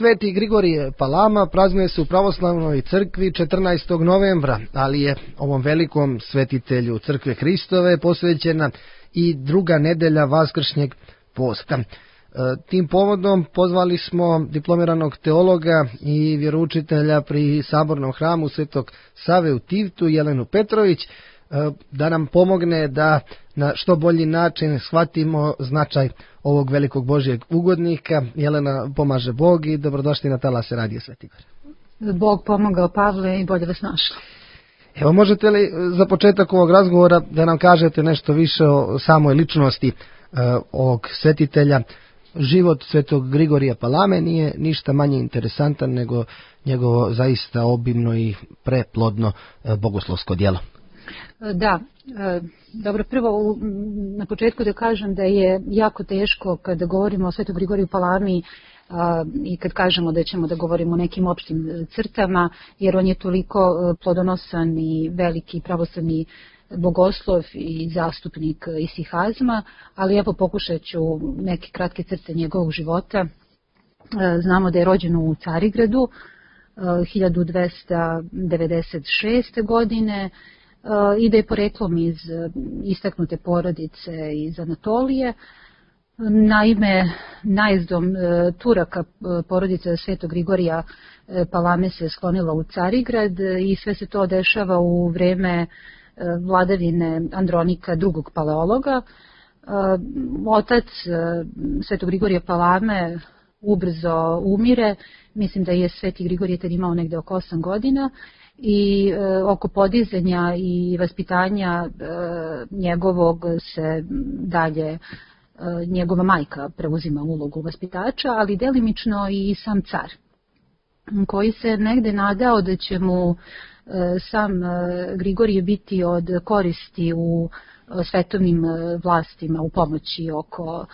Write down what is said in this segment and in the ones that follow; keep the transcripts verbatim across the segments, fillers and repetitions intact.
Sveti Grigorije Palama praznuje se u pravoslavnoj crkvi četrnaestog novembra, ali je ovom velikom svetitelju crkve Hristove posvećena i druga nedelja Vaskršnjeg posta. Tim povodom pozvali smo diplomiranog teologa i vjeroučitelja pri Sabornom hramu Svetog Save u Tivtu, Jelenu Petrović, da nam pomogne da na što bolji način shvatimo značaj ovog velikog Božjeg ugodnika. Jelena, pomaže Bog i dobrodošli na talase Radija Sveti Igor. Bog pomogao, Pavle, i bolje vas našli. Evo, možete li za početak ovog razgovora da nam kažete nešto više o samoj ličnosti uh, ovog svetitelja? Život Svetog Grigorija Palame nije ništa manje interesantan nego njegovo zaista obimno i preplodno uh, bogoslovsko djelo. Da, dobro, prvo na početku da kažem da je jako teško kada govorimo o Svetom Grigoriju Palami i kad kažemo da ćemo da govorimo o nekim opštim crtama, jer on je toliko plodonosan i veliki pravoslavni bogoslov i zastupnik isihazma, ali evo pokušat ću neke kratke crte njegovog života. Znamo da je rođen u Carigradu hiljadu dvesta devedeset šeste. godine, i da je poreklom iz istaknute porodice iz Anatolije. Naime, najezdom Turaka porodica Svetog Grigorija Palame se sklonila u Carigrad i sve se to dešava u vreme vladavine Andronika drugog paleologa. Otac Svetog Grigorija Palame ubrzo umire, mislim da je Sveti Grigorije tad imao negde oko osam godina, i e, oko podizanja i vaspitanja e, njegovog se dalje e, njegova majka preuzima ulogu vaspitača, ali delimično i sam car, koji se negde nadao da će mu e, sam e, Grigorije biti od koristi u e, svetovnim vlastima, u pomoći oko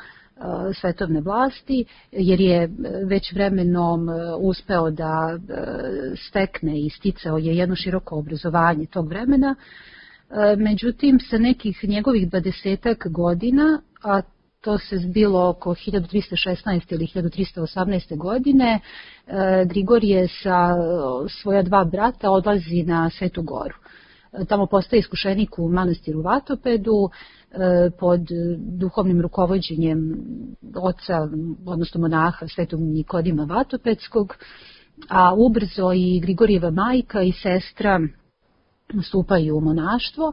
svetovne vlasti, jer je već vremenom uspeo da stekne i sticao je jedno široko obrazovanje tog vremena. Međutim, sa nekih njegovih dvadesetak godina, a to se zbilo oko hiljadu trista šesnaeste. ili hiljadu trista osamnaeste. godine, Grigorije sa svoja dva brata odlazi na Svetu Goru. Tamo postaje iskušenik u manastiru Vatopedu pod duhovnim rukovođenjem oca, odnosno monaha Svetog Nikodima Vatopedskog, a ubrzo i Grigorijeva majka i sestra stupaju u monaštvo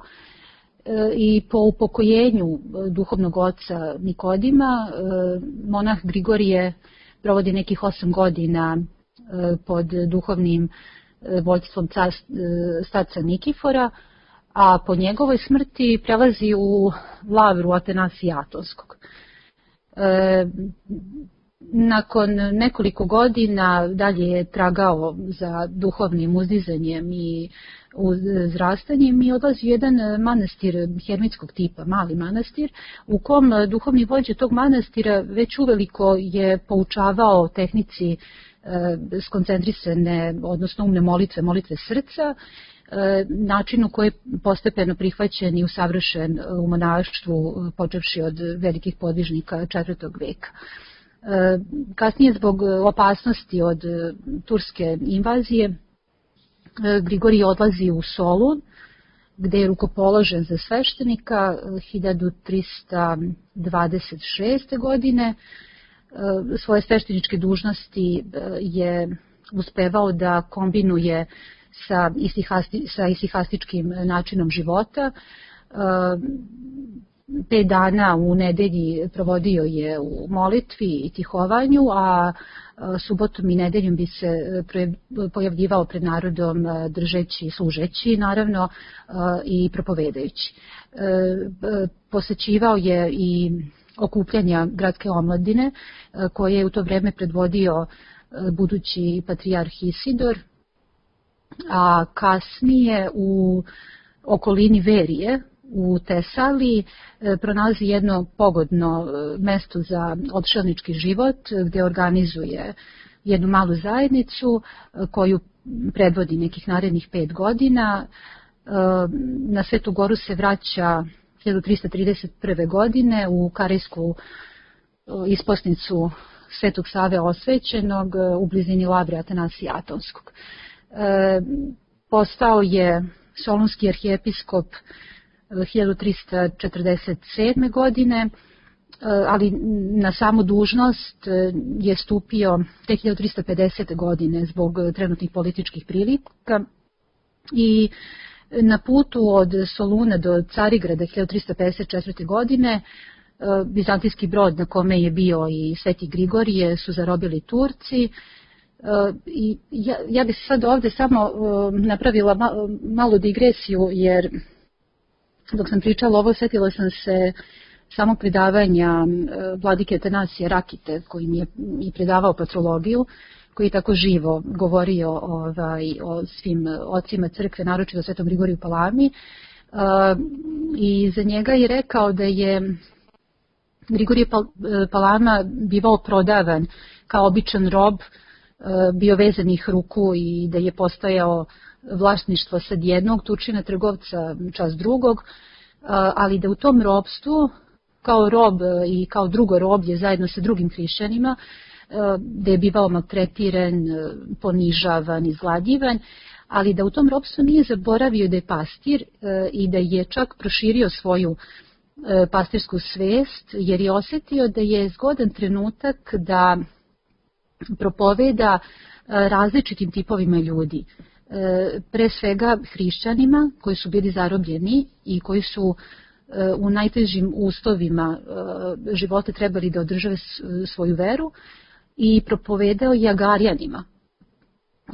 i po upokojenju duhovnog oca Nikodima monah Grigorije provodi nekih osam godina pod duhovnim vođstvom starca Nikifora, a po njegovoj smrti prelazi u lavru Atanasija Atonskog. E, nakon nekoliko godina dalje je tragao za duhovnim uzdizanjem i uzrastanjem i odlazi u jedan manastir hermitskog tipa, mali manastir, u kom duhovni vođa tog manastira već uveliko je poučavao tehnici skoncentrisane, odnosno umne molitve, molitve srca, način u koji je postepeno prihvaćen i usavršen u monaštvu, počevši od velikih podvižnika četvrtog veka. Kasnije, zbog opasnosti od turske invazije, Grigorije odlazi u Solun, gde je rukopoložen za sveštenika hiljadu trista dvadeset šeste. godine. Svoje svešteničke dužnosti je uspevao da kombinuje sa, isihasti, sa isihastičkim načinom života. Pet dana u nedelji provodio je u molitvi i tihovanju, a subotom i nedeljom bi se pojavljivao pred narodom držeći, služeći naravno i propovedajući. Posećivao je i okupljanja gradske omladine koje je u to vreme predvodio budući patrijarh Isidor, a kasnije u okolini Verije u Tesaliji pronalazi jedno pogodno mesto za odšelnički život gde organizuje jednu malu zajednicu koju predvodi nekih narednih pet godina. Na Svetu Goru se vraća hiljadu trista trideset prve. godine u Karejsku isposnicu Svetog Save Osvećenog u blizini Lavre Atanasija Atonskog. Postao je solunski arhijepiskop hiljadu trista četrdeset sedme. godine, ali na samu dužnost je stupio tek hiljadu trista pedesete. godine zbog trenutnih političkih prilika i na putu od Soluna do Carigrada hiljadu trista pedeset četvrte. godine bizantijski brod na kome je bio i Sveti Grigorije su zarobili Turci. I ja, ja bih sad ovde samo napravila malu digresiju, jer dok sam pričala ovo, setila sam se samog predavanja vladike Atanasija Rakite, koji mi je i predavao patrologiju, koji je tako živo govorio ovaj, o svim ocima crkve, naročito o Svetom Grigoriju Palami. I za njega je rekao da je Grigorije Palama bivao prodavan kao običan rob, bio vezanih ruku i da je postojao vlasništvo sad jednog Turčina trgovca čas drugog, ali da u tom robstvu kao rob i kao drugo roblje zajedno sa drugim hrišćanima, da je bivao maltretiran, ponižavan, izgladjivan, ali da u tom robstvu nije zaboravio da je pastir i da je čak proširio svoju pastirsku svest, jer je osetio da je zgodan trenutak da propoveda različitim tipovima ljudi. Pre svega hrišćanima koji su bili zarobljeni i koji su u najtežim uslovima života trebali da održave svoju veru, i propovedao je Agarijanima,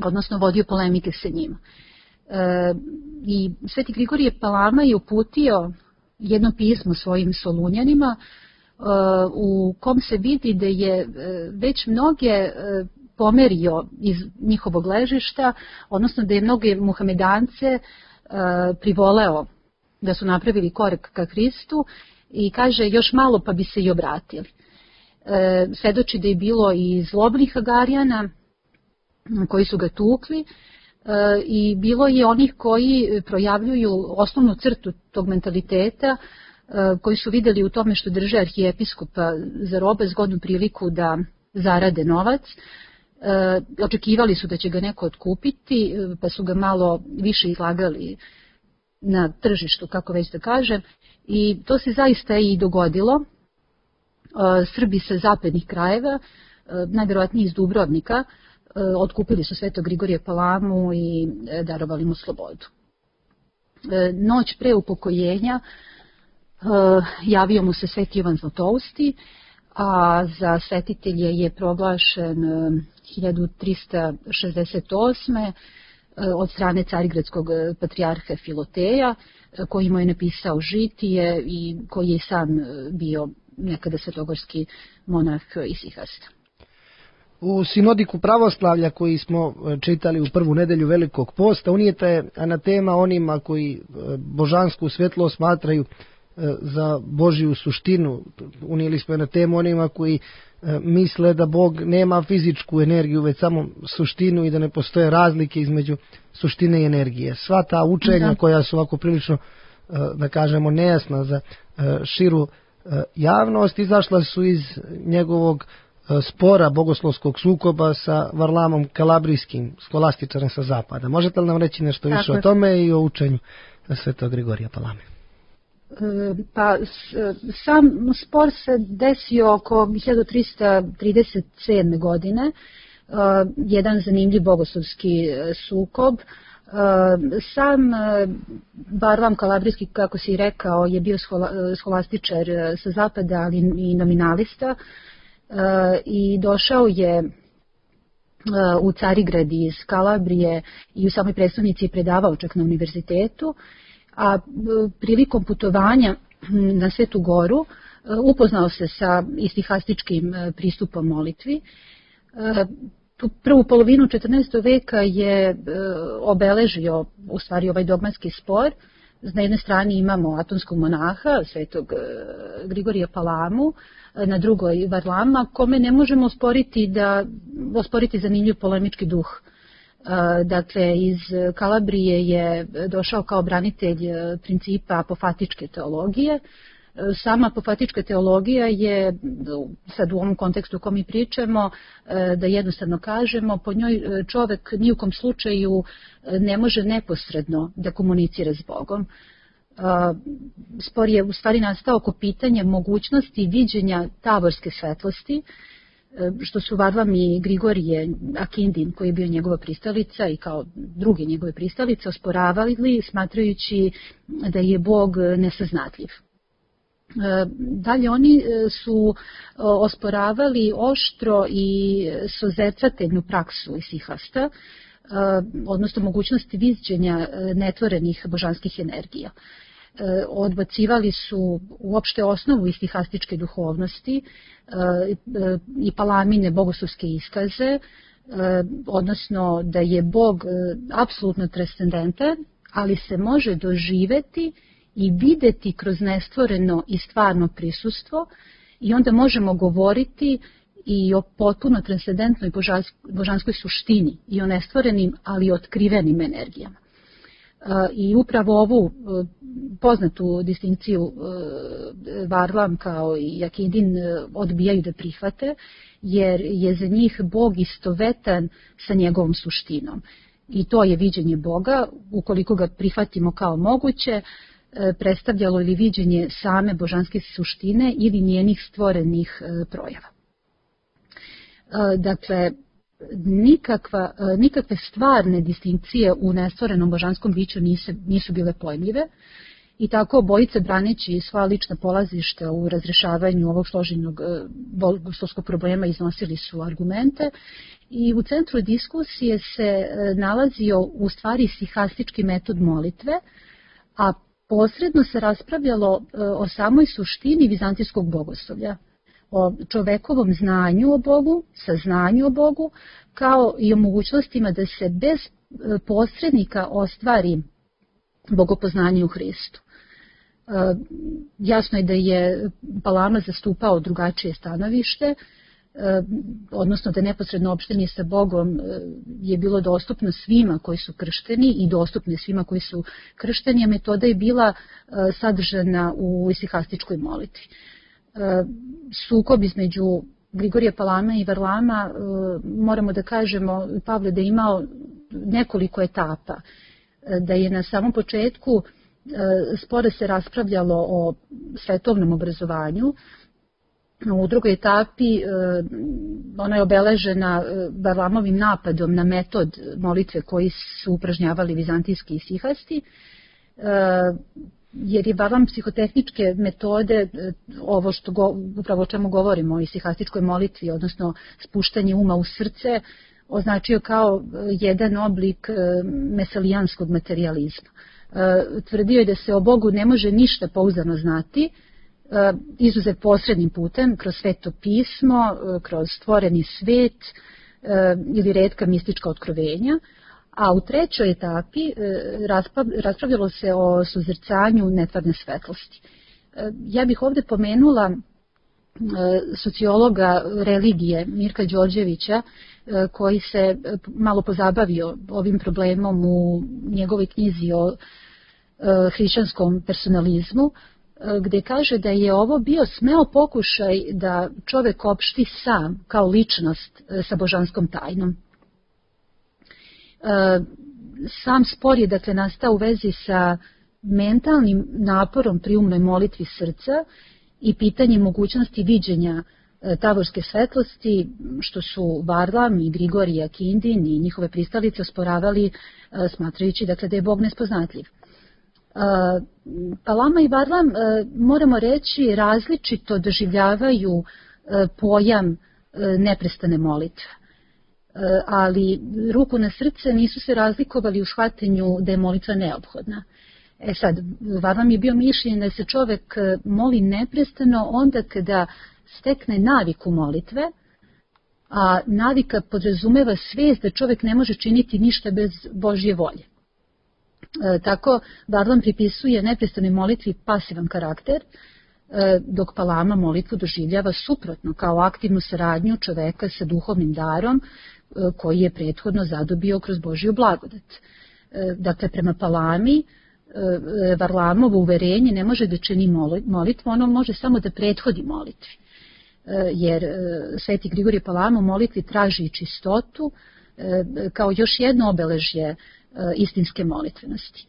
odnosno vodio polemike sa njima. I Sveti Grigorije Palama je uputio jedno pismo svojim Solunjanima u kom se vidi da je već mnoge pomerio iz njihovog ležišta, odnosno da je mnoge muhamedance privoleo da su napravili korak ka Hristu, i kaže još malo pa bi se i obratili. Svedoči da je bilo i zlobnih Agarijana koji su ga tukli, i bilo je onih koji projavljuju osnovnu crtu tog mentaliteta, koji su videli u tome što drže arhijepiskopa za robe zgodnu priliku da zarade novac. Očekivali su da će ga neko otkupiti, pa su ga malo više izlagali na tržištu, kako već da kažem, i to se zaista i dogodilo. Srbi sa zapadnih krajeva, najverovatnije iz Dubrovnika, otkupili su Svetog Grigorija Palamu i darovali mu slobodu. Noć pre upokojenja javio mu se Sveti Jovan Zlatousti, a za svetitelje je proglašen hiljadu trista šezdeset osme. od strane carigradskog patrijarha Filoteja, koji mu je napisao žitije i koji je sam bio nekada svetogorski monah Isihasta. U sinodiku pravoslavlja koji smo čitali u prvu nedelju Velikog posta, unijeta je anatema onima koji božansku svjetlost smatraju za Božiju suštinu. Unijeli smo anatemu onima koji misle da Bog nema fizičku energiju, već samo suštinu i da ne postoje razlike između suštine i energije. Sva ta učenja da. koja su ovako prilično, da kažemo, nejasna za širu javnost, izašla su iz njegovog spora bogoslovskog sukoba sa Varlamom Kalabrijskim, skolastičarem sa zapada. Možete li nam reći nešto više Tako. o tome i o učenju Svetog Grigorija Palame? Pa sam spor se desio oko hiljadu trista trideset sedme. godine, jedan zanimljiv bogoslovski sukob. Sam Varlam Kalabrijski, kako si rekao, je bio skolastičar sa zapada, ali i nominalista, i došao je u Carigrad iz Kalabrije i u samoj prestonici je predavao čak na univerzitetu, a prilikom putovanja na Svetu Goru upoznao se sa istihastičkim pristupom molitvi. Tu prvu polovinu četrnaestog veka je obeležio u stvari ovaj dogmatski spor. Na jednoj strani imamo atonskog monaha, Svetog Grigorija Palamu, na drugoj Varlama, kome ne možemo osporiti, da, osporiti zanimljiv polemički duh. Dakle, iz Kalabrije je došao kao branitelj principa apofatičke teologije, Sama apofatička teologija je, sad u ovom kontekstu u kom mi pričamo, da jednostavno kažemo, po njoj čovek ni u kom slučaju ne može neposredno da komunicira s Bogom. Spor je u stvari nastao oko pitanja mogućnosti viđenja tavorske svetlosti, što su Varlam i Grigorije Akindin, koji je bio njegova pristalica i kao druge njegove pristalice, osporavali, smatrajući da je Bog nesaznatljiv. Dalje oni su osporavali oštro i sozercateljnu praksu isihasta, odnosno mogućnosti viđenja netvorenih božanskih energija. Odbacivali su uopšte osnovu istihastičke duhovnosti i palamine bogoslovske iskaze, odnosno da je Bog apsolutno transcendentan, ali se može doživeti i videti kroz nestvoreno i stvarno prisustvo i onda možemo govoriti i o potpuno transcendentnoj božanskoj suštini i o nestvorenim, ali otkrivenim energijama. I upravo ovu poznatu distinkciju Varlam kao i Akindin odbijaju da prihvate, jer je za njih Bog istovetan sa njegovom suštinom. I to je viđenje Boga, ukoliko ga prihvatimo kao moguće, predstavljalo ili viđenje same božanske suštine ili njenih stvorenih projava. Dakle, nikakva, nikakve stvarne distinkcije u nestvorenom božanskom biću nisu, nisu bile pojmljive i tako obojice braneći svoja lična polazišta u razrešavanju ovog složenog bogoslovskog problema iznosili su argumente i u centru diskusije se nalazio u stvari sihastički metod molitve, a posredno se raspravljalo o samoj suštini vizantijskog bogoslovlja, o čovekovom znanju o Bogu, saznanju o Bogu, kao i o mogućnostima da se bez posrednika ostvari bogopoznanje u Hristu. Jasno je da je Palama zastupao drugačije stanovište, odnosno da neposredno opštenje sa Bogom je bilo dostupno svima koji su kršteni i dostupno svima koji su kršteni, a metoda je bila sadržana u isihastičkoj molitvi. Sukob između Grigorija Palama i Varlama, moramo da kažemo, Pavle, da je imao nekoliko etapa, da je na samom početku spore se raspravljalo o svetovnom obrazovanju. U drugoj etapi ona je obeležena Varlamovim napadom na metod molitve koji su upražnjavali vizantijski isihasti, jer je Varlam psihotehničke metode, ovo što go, upravo o čemu govorimo, o isihastičkoj molitvi, odnosno spuštanje uma u srce, označio kao jedan oblik mesalijanskog materializma. Tvrdio je da se o Bogu ne može ništa pouzdano znati, izuzev posrednim putem, kroz sveto pismo, kroz stvoreni svet ili retka mistička otkrovenja, a u trećoj etapi raspravljalo se o suzrcanju netvarne svetlosti. Ja bih ovde pomenula sociologa religije Mirka Đorđevića, koji se malo pozabavio ovim problemom u njegovoj knjizi o hrišćanskom personalizmu, gde kaže da je ovo bio smeo pokušaj da čovek opšti sam kao ličnost sa božanskom tajnom. Sam spor je dakle nastao u vezi sa mentalnim naporom pri umnoj molitvi srca i pitanje mogućnosti viđenja tavorske svetlosti, što su Varlam i Grigorije Akindin i njihove pristalice osporavali, smatrajući dakle da je Bog nespoznatljiv. Palama i Varlam, moramo reći, različito doživljavaju pojam neprestane molitve, ali ruku na srce nisu se razlikovali u shvatanju da je molitva neophodna. E sad, Varlam je bio mišljenje da se čovek moli neprestano onda kada stekne naviku molitve, a navika podrazumeva svest da čovek ne može činiti ništa bez Božje volje. E, tako, Varlam pripisuje neprestanoj molitvi pasivan karakter, e, dok Palama molitvu doživljava suprotno, kao aktivnu saradnju čoveka sa duhovnim darom, e, koji je prethodno zadobio kroz Božju blagodat. E, dakle, prema Palami, Varlamovo uverenje ne može da čini molitvu, ono može samo da prethodi molitvi. Jer Sveti Grigorije Palama u molitvi traži čistotu kao još jedno obeležje istinske molitvenosti.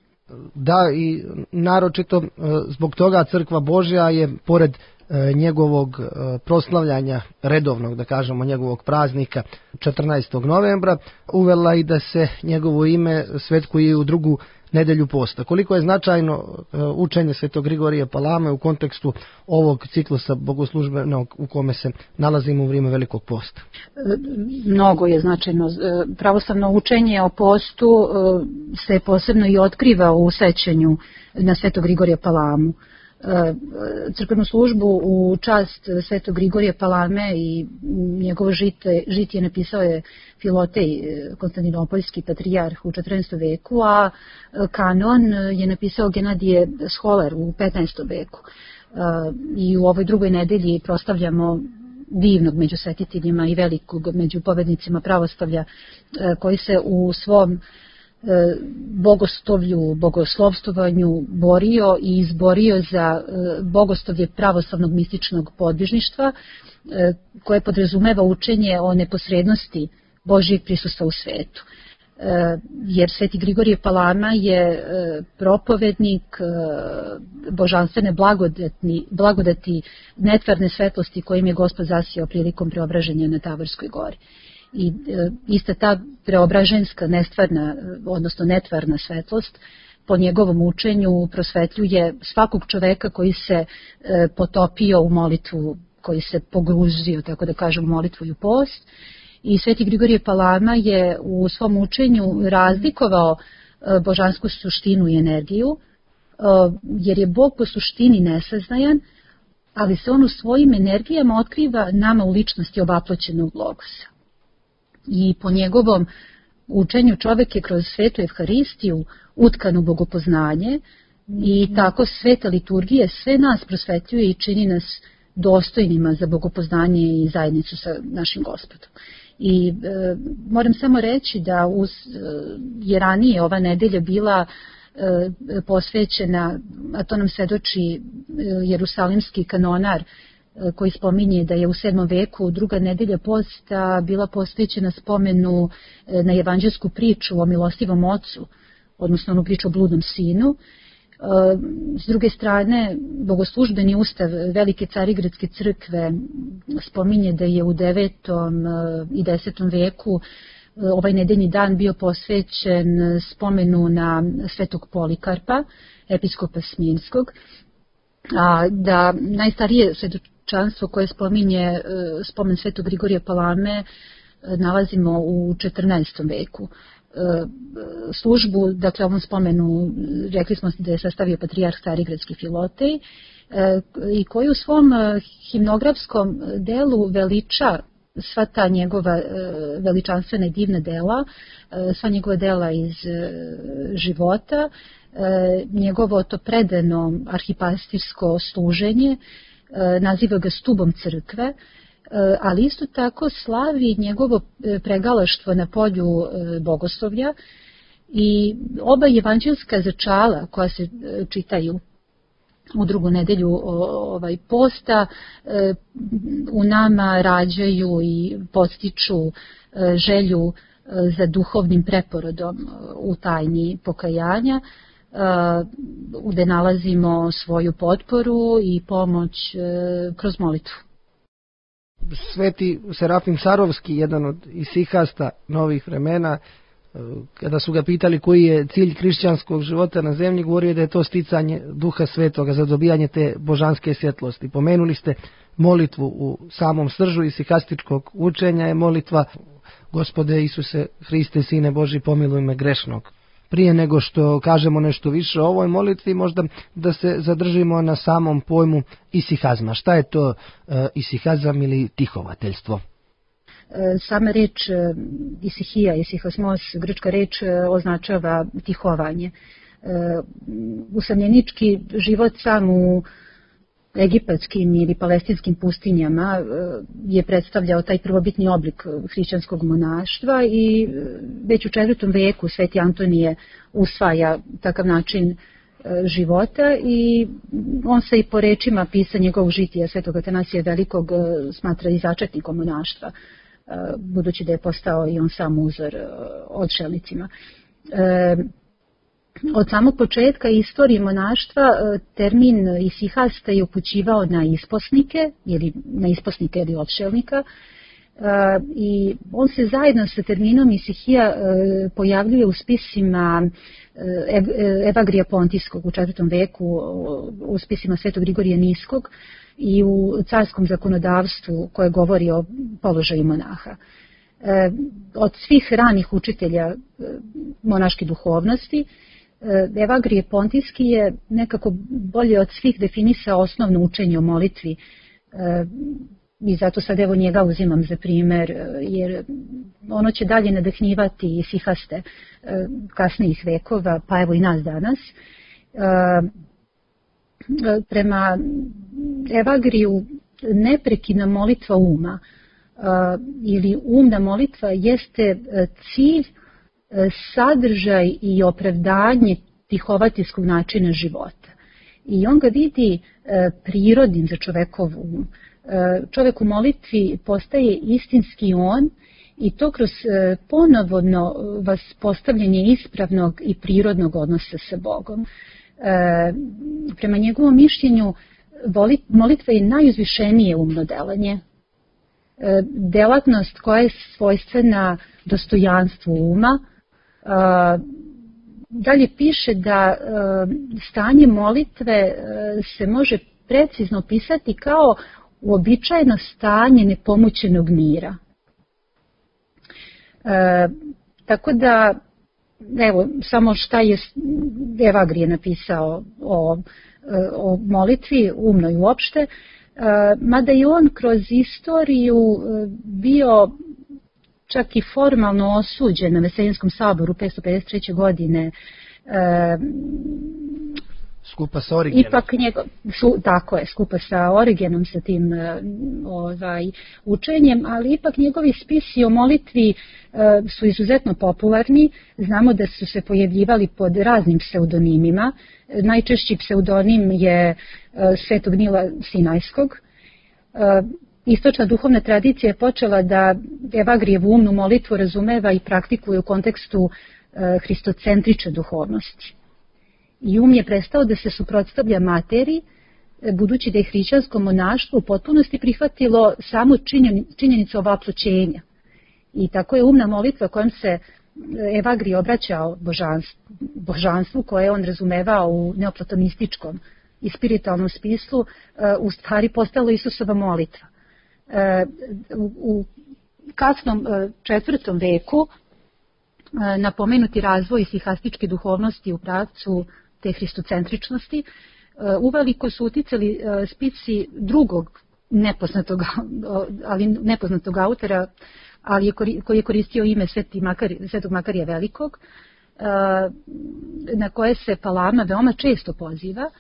Da, i naročito zbog toga Crkva Božja je, pored njegovog proslavljanja redovnog, da kažemo, njegovog praznika četrnaestog novembra, uvela i da se njegovo ime svetkuje u drugu nedelju posta. Koliko je značajno učenje Svetog Grigorija Palame u kontekstu ovog ciklusa bogoslužbenog u kome se nalazimo u vrijeme Velikog posta? Mnogo je značajno. Pravoslavno učenje o postu se posebno i otkriva u sećanju na Svetog Grigorija Palamu. Crkvenu službu u čast Svetog Grigorija Palame i njegovo žite, žitije napisao je Filotej, konstantinopoljski patrijarh, u četrnaestom veku, a kanon je napisao Genadije Scholar u petnaestom veku. I u ovoj drugoj nedelji proslavljamo divnog među svetiteljima i velikog među povednicima pravoslavlja, koji se u svom bogoslovlju, bogoslovstovanju borio i izborio za bogoslovlje pravoslavnog mističnog podvižništva, koje podrazumeva učenje o neposrednosti Božijeg prisustva u svetu. Jer Sveti Grigorije Palama je propovednik božanstvene blagodati, blagodati netvarne svetlosti kojim je Gospod zasijao prilikom preobraženja na Tavorskoj gori. I ista ta preobraženska nestvarna, odnosno netvarna svetlost po njegovom učenju prosvetljuje svakog čoveka koji se potopio u molitvu, koji se pogruzio, tako da kažem, u molitvu i u post. I Sveti Grigorije Palama je u svom učenju razlikovao božansku suštinu i energiju, jer je Bog po suštini nesaznajan, ali se on u svojim energijama otkriva nama u ličnosti ovaploćenog logosa. I po njegovom učenju čovjek je kroz svetu Evharistiju utkan u bogopoznanje i tako sveta liturgija sve nas prosvetljuje i čini nas dostojnima za bogopoznanje i zajednicu sa našim Gospodom. I e, moram samo reći da uz, je ranije ova nedelja bila e, posvećena, a to nam svedoči jerusalimski kanonar, koji spominje da je u sedmom veku druga nedelja posta bila posvećena spomenu na evanđelsku priču o milostivom ocu, odnosno onu priču o bludnom sinu. S druge strane, bogoslužbeni ustav Velike Carigradske crkve spominje da je u devetom i desetom veku ovaj nedeljni dan bio posvećen spomenu na svetog Polikarpa, episkopa Smirnskog, a da najstarije svedočanstvo koje spominje spomen Svetog Grigorija Palame nalazimo u četrnaestom veku. Službu, dakle ovom spomenu, rekli smo da je sastavio patrijarh Carigradski Filotej, i koji u svom himnografskom delu veliča sva ta njegova veličanstvena i divna dela, sva njegova dela iz života, njegovo to predano arhipastirsko služenje, naziva ga stubom crkve, ali isto tako slavi njegovo pregalaštvo na polju bogoslovlja i oba evanđelska začala koja se čitaju u drugu nedelju ovaj posta u nama rađaju i podstiču želju za duhovnim preporodom u tajni pokajanja, gde nalazimo svoju potporu i pomoć kroz molitvu. Sveti Serafim Sarovski, jedan od isihasta novih vremena, kada su ga pitali koji je cilj hrišćanskog života na zemlji, govorio da je to sticanje Duha Svetoga za dobijanje te božanske svjetlosti. Pomenuli ste molitvu u samom sržu isihastičkog učenja, je molitva Gospode Isuse Hriste, Sine Boži, pomiluj me grešnog. Prije nego što kažemo nešto više o ovoj molitvi, možda da se zadržimo na samom pojmu isihazma. Šta je to e, isihazam ili tihovateljstvo? Sama reč isihija, isihosmos, grčka reč, označava tihovanje. Usamljenički život sam u egipatskim ili palestinskim pustinjama je predstavljao taj prvobitni oblik hrišćanskog monaštva i već u četvrtom veku Sveti Antonije usvaja takav način života i on se i po rečima pisa njegovog žitija Svetog Atanasija Velikog smatra i začetnikom monaštva, budući da je postao i on sam uzor odšelnicima. Od samog početka istorije monaštva termin isihasta je upućivao na isposnike ili na isposnike ili odšelnika i on se zajedno sa terminom isihija pojavljuje u spisima Evagrija Pontijskog u četvrtom veku, u spisima Svetog Grigorija Niskog i u carskom zakonodavstvu koje govori o položaju monaha. Od svih ranih učitelja monaške duhovnosti, Evagrije Pontijski je nekako bolje od svih definisao osnovno učenje o molitvi i zato sad evo njega uzimam za primer, jer ono će dalje nadahnjivati isihaste kasnijih vekova, pa evo i nas danas. Prema Evagriju neprekidna molitva uma ili umna molitva jeste cilj, sadržaj i opravdanje tihovatijskog načina života. I on ga vidi prirodnim za čovekov um. Čovek u molitvi postaje istinski on i to kroz ponovno vas postavljanje ispravnog i prirodnog odnosa sa Bogom. Prema njegovom mišljenju molitva je najuzvišenije umno delanje. Delatnost koja je svojstvena dostojanstvu uma. Dalje piše da stanje molitve se može precizno opisati kao uobičajeno stanje nepomućenog mira. E, tako da, evo, samo šta je Evagrije napisao o, o molitvi, umnoj uopšte, e, mada je on kroz istoriju bio čak i formalno osuđen na Veselinskom saboru petsto pedeset treće. godine, e, skupa sa Origenom. Ipak njegov, su, tako je, skupa sa Origenom, sa tim ovaj, učenjem, ali ipak njegovi spisi o molitvi e, su izuzetno popularni. Znamo da su se pojavljivali pod raznim pseudonimima. Najčešći pseudonim je e, Svetog Nila Sinajskog. E, istočna duhovna tradicija je počela da Evagrijevu umnu molitvu razumeva i praktikuje u kontekstu e, hristocentrične duhovnosti. I um je prestao da se suprotstavlja materiji, budući da je hrišćansko monaštvo u potpunosti prihvatilo samo činjenicu ovaploćenja. I tako je umna molitva kojom se Evagrije obraćao božanstvu, božanstvu koje je on razumevao u neoplatonističkom i spiritualnom smislu, u stvari postalo Isusova molitva. U kasnom četvrtom veku napomenuti razvoj isihastičke duhovnosti u pravcu te hristocentričnosti uveliko su uticali spici drugog nepoznatog, ali nepoznatog autora, ali je, koji je koristio ime Sveti Makar, Svetog Makarija Velikog, na koje se Palama veoma često poziva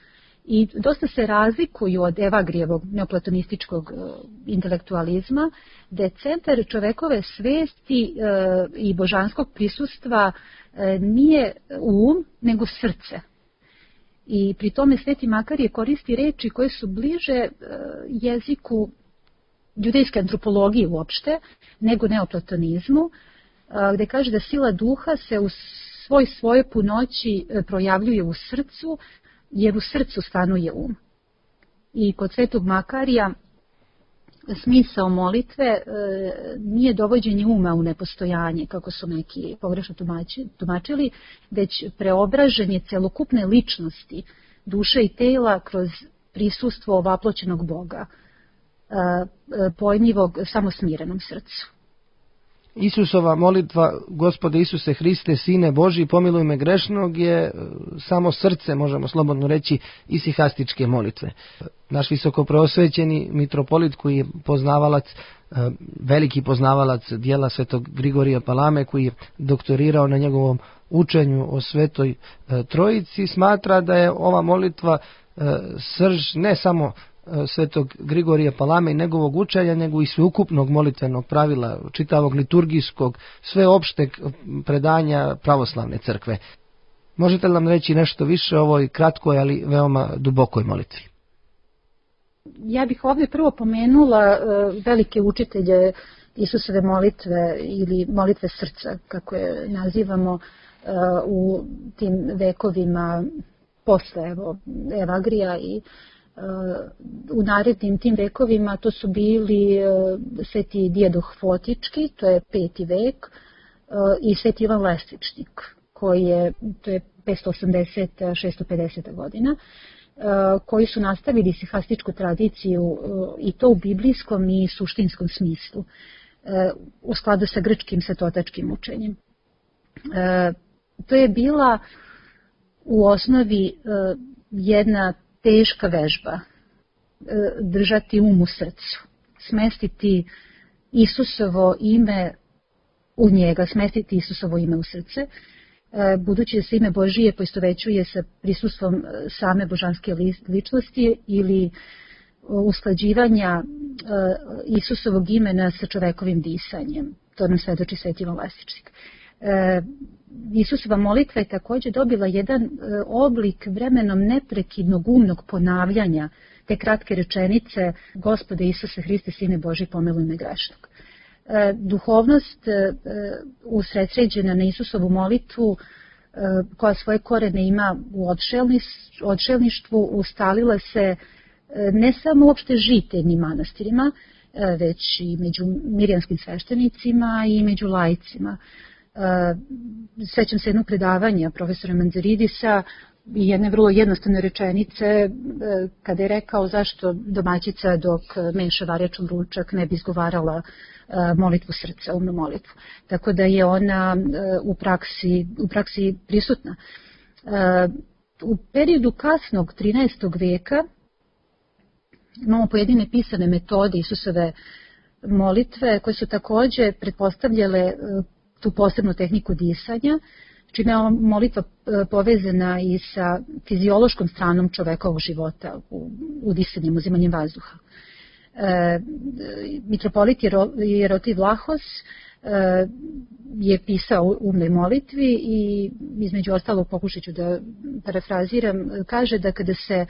i dosta se razlikuju od Evagrijevog neoplatonističkog intelektualizma, da je centar čovekove svesti i božanskog prisustva nije um, nego srce. I pri tome Sveti Makarije koristi reči koje su bliže jeziku judejske antropologije uopšte, nego neoplatonizmu, gde kaže da sila duha se u svoj svoje punoći projavljuje u srcu, jer u srcu stanuje um. I kod Svetog Makarija smisao molitve e, nije dovođenje uma u nepostojanje, kako su neki pogrešno tumačili, već preobraženje celokupne ličnosti, duše i tela kroz prisustvo ovaploćenog Boga, e, pojmljivog samo smirenom srcu. Isusova molitva, Gospode Isuse Hriste, Sine Božji, pomiluj me grešnog, je samo srce, možemo slobodno reći, isihastičke molitve. Naš visokopreosvećeni mitropolit, koji je poznavalac, veliki poznavalac dijela Svetog Grigorija Palame, koji je doktorirao na njegovom učenju o Svetoj Trojici, smatra da je ova molitva srž ne samo Svetog Grigorija Palame i njegovog učenja, nego i sveukupnog molitvenog pravila, čitavog liturgijskog, sveopšteg predanja pravoslavne crkve. Možete li nam reći nešto više o ovoj kratkoj, ali veoma dubokoj molitvi? Ja bih ovdje prvo pomenula velike učitelje Isusove molitve ili molitve srca, kako je nazivamo u tim vekovima posle evo, Evagrija i u narednim tim vekovima. To su bili sveti Dijadoh Fotički, to je peti vek, i sveti Ivan Lesvičnik, koji je, to je petsto osamdeset do šesto pedeset godina, koji su nastavili sihastičku tradiciju i to u biblijskom i suštinskom smislu, u skladu sa grčkim svetotačkim učenjem. To je bila u osnovi jedna teška vežba, držati um u srcu, smestiti Isusovo ime u njega, smestiti Isusovo ime u srce, budući da se ime Božije poistovećuje sa prisustvom same božanske ličnosti ili usklađivanja Isusovog imena sa čovekovim disanjem. To nam svedoči sveti Ivan Lesvičnik. Isusova molitva je također dobila jedan oblik vremenom neprekidnog umnog ponavljanja te kratke rečenice: Gospode Isuse Hriste, Sine Božji, pomiluj me grešnog. Duhovnost usredsređena na Isusovu molitvu, koja svoje korene ima u odšelništvu, ustalila se ne samo uopšte žiteljnim manastirima, već i među mirjanskim sveštenicima i među laicima. Sećam se jednog predavanja profesora Manzaridisa i jedne vrlo jednostavne rečenice kada je rekao zašto domaćica dok meša varjačom ručak ne bi izgovarala molitvu srca, umnu molitvu. Tako da je ona u praksi, u praksi prisutna. U periodu kasnog trinaestog veka imamo pojedine pisane metode Isusove molitve koje su također pretpostavljale tu posebnu tehniku disanja, čime je ova molitva povezana i sa fiziološkom stranom čovekovog života u, u disanjem, uzimanjem vazduha. E, mitropolit Jerotiv Vlahos e, je pisao u umnoj molitvi i između ostalog, pokušat ću da parafraziram, kaže da kada se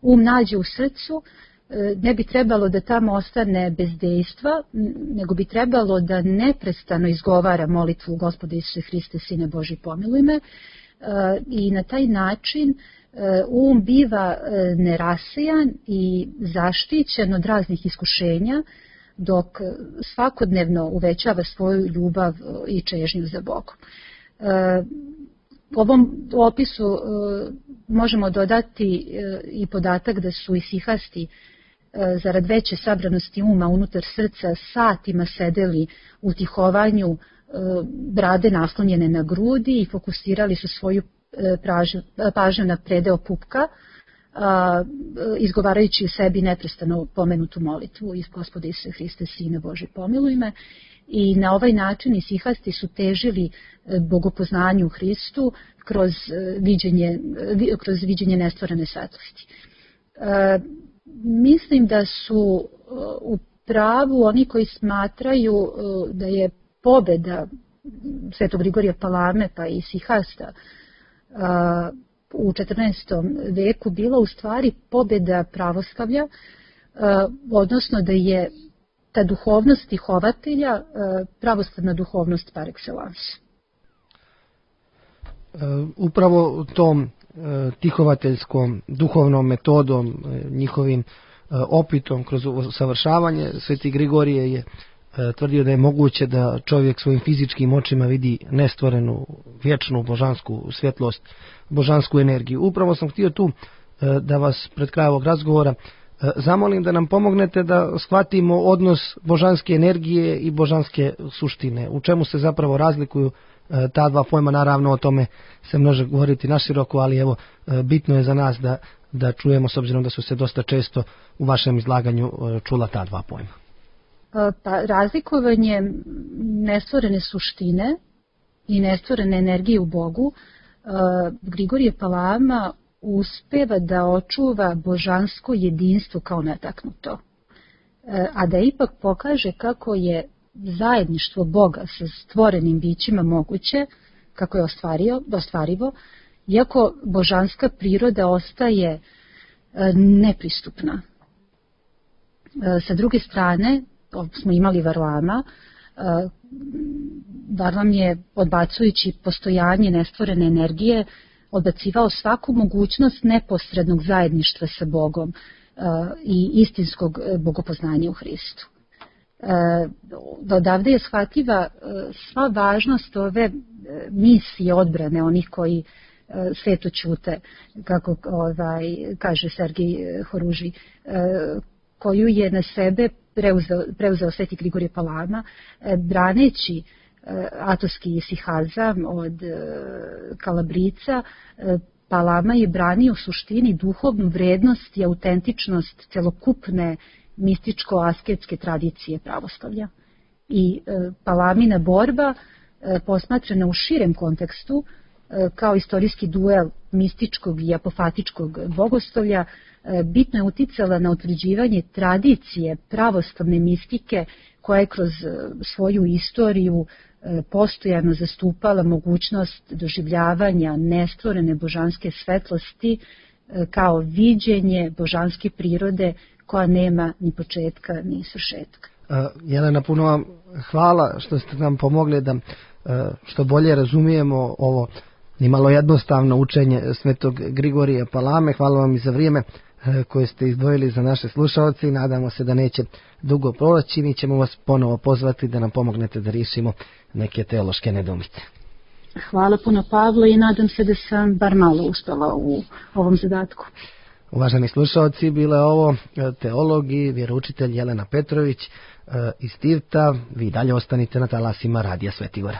um nađe u srcu, ne bi trebalo da tamo ostane bez dejstva, nego bi trebalo da neprestano izgovara molitvu Gospode Isuse Hriste, Sine Božji, pomiluj me, i na taj način um biva nerasijan i zaštićen od raznih iskušenja, dok svakodnevno uvećava svoju ljubav i čežnju za Bogom. U ovom opisu možemo dodati i podatak da su isihasti zarad veće sabranosti uma unutar srca satima sedeli u tihovanju, brade naslonjene na grudi, i fokusirali su svoju pažnju na predeo pupka, izgovarajući u sebi neprestano pomenutu molitvu: Gospode Isuse Hriste, Sine Božji, pomiluj me. I na ovaj način isihasti su težili bogopoznanju u Hristu kroz viđenje, kroz viđenje nestvorene svetlosti. E, mislim da su u pravu oni koji smatraju da je pobeda Svetog Grigorija Palame pa i isihasta u četrnaestom veku bila u stvari pobeda pravoslavlja, odnosno da je ta duhovnost stihovatelja pravoslavna duhovnost par excellence. Upravo tom tihovateljskom duhovnom metodom, njihovim opitom kroz usavršavanje, Sveti Grigorije je tvrdio da je moguće da čovjek svojim fizičkim očima vidi nestvorenu, vječnu božansku svjetlost, božansku energiju. Upravo sam htio tu da vas pred kraj ovog razgovora zamolim da nam pomognete da shvatimo odnos božanske energije i božanske suštine. U čemu se zapravo razlikuju ta dva pojma? Naravno, o tome se može govoriti naširoko, ali evo, bitno je za nas da, da čujemo, s obzirom da su se dosta često u vašem izlaganju čula ta dva pojma. Pa, razlikovanje nestvorene suštine i nestvorene energije u Bogu, Grigorije Palama uspeva da očuva božansko jedinstvo kao netaknuto, a da ipak pokaže kako je zajedništvo Boga sa stvorenim bićima moguće, kako je ostvario, ostvarivo, iako božanska priroda ostaje nepristupna. Sa druge strane, smo imali Varlama. Varlam je, odbacujući postojanje nestvorene energije, odbacivao svaku mogućnost neposrednog zajedništva sa Bogom i istinskog bogopoznanja u Hristu. Odavde je shvatljiva sva važnost ove misije odbrane onih koji sveto ćute, kako ovaj, kaže Sergij Horuži, koju je na sebe preuzeo, preuzeo sveti Grigorije Palama, braneći atovski isihazam od Kalabrica. Palama je branio u suštini duhovnu vrednost i autentičnost celokupne mističko-asketske tradicije pravoslavlja. I Palamina borba, posmatrana u širem kontekstu, kao istorijski duel mističkog i apofatičkog bogoslovlja, bitno je uticala na utvrđivanje tradicije pravoslavne mistike koja je kroz svoju istoriju postojano zastupala mogućnost doživljavanja nestvorene božanske svetlosti kao viđenje božanske prirode koja nema ni početka ni svršetka. Jelena, puno vam hvala što ste nam pomogli da što bolje razumijemo ovo nimalo jednostavno učenje svetog Grigorija Palame. Hvala vam i za vrijeme koje ste izdvojili za naše slušalce i nadamo se da neće dugo proći. Mi ćemo vas ponovo pozvati da nam pomognete da riješimo neke teološke nedoumice. Hvala puno, Pavlo, i nadam se da sam bar malo uspela u ovom zadatku. Uvaženi slušalci, bila je ovo teolog i vjeroučitelj Jelena Petrović iz Tivta. Vi dalje ostanite na talasima Radija Sveti Gora.